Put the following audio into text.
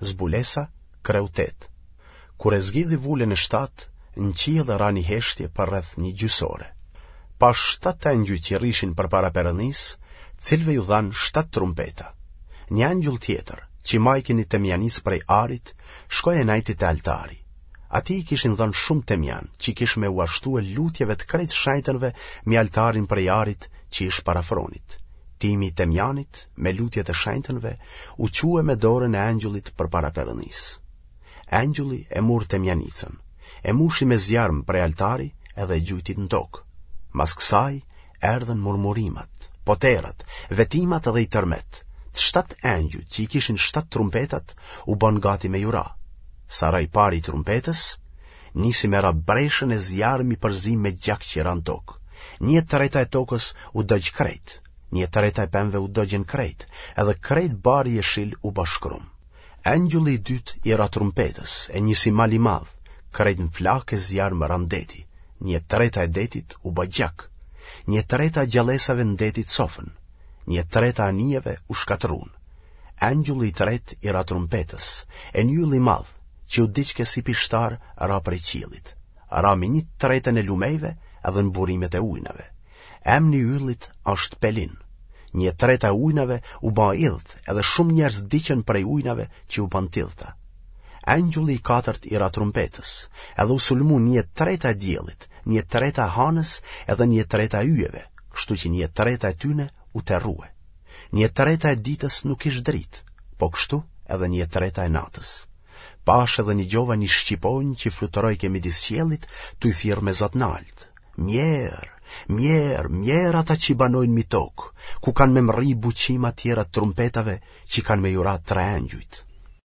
Zbulesa, kreu 8. Kur e zgjidhi vulën e shtatë, në qiell ra një heshtje për rreth një gjysore. Pashë shtatë engjëj që rrishin përpara Perëndisë, cilëve iu dhanë shtatë trumpeta. Një engjëll tjetër, që majke një temjanicë prej arit, shkoi e nejti te altari. Atij i kishin dhënë shumë temjan, që kish me ua shtue lutjeve të krejt shenjtërve mi altarin prej arit që ish para fronit. Tymi i temjanit, me lutjet e shenjtërve, u çue me dorën e engjëllit përpara Perëndisë. Engjëlli e mur temjanicën, e mushi me zjarm prej altari edhe e gjujti në tokë. Mas kësaj erdhën murmurimat, poterat, vetimat edhe i tërmet. Të shtatë engjëjt që i kishin shtatë trumpetat u bënë gati me ju ra. Sa ra i pari i trumpetës, nisi me ra breshën e zjarm i përzim me gjak që ra në tokë. Një e treta e tokës u dogj krejt, një e treta e pemëve u dogjën krejt, edhe krejt bari jeshil u bë shkrum. Engjëlli i dytë i ra trumpetës, e një si mal i madh, krejt në flakë e zjarm ra në deti, një e treta e detit u bë gjak, një e treta e gjallesave në deti cofën, një e treta e anijeve u shkatërrun. Engjëlli i tretë i ra trumpetës, e një yll i madh, që u digjke si pishtar, ra prej qiellit. Ra mi një të tretën e lumejve edhe në burimet e ujnave. Emni i yllit është Pelin. Një e treta e ujnave u bë idht, edhe shumë njerëz vdiqën prej ujnave që u bënë t'idhta. Engjulli i katërt i ra trumpetës, edhe u sulmu një e treta e diellit, një e treta e hanës edhe një e treta e yjeve, kështu që një e treta e tyne u terrue. Një e treta e ditës nuk kish dritë, po kështu edhe një e treta e natës. Pashë edhe nigjova një shqiponjë që fluturojke midis qiellit, tuj thirrë me za t'naltë. Mjerë, mjerë, mjerë ata që banojnë mi tokë, ku kanë me mrri buçima tjera trumpetave që kanë me ju ra tre engjujt.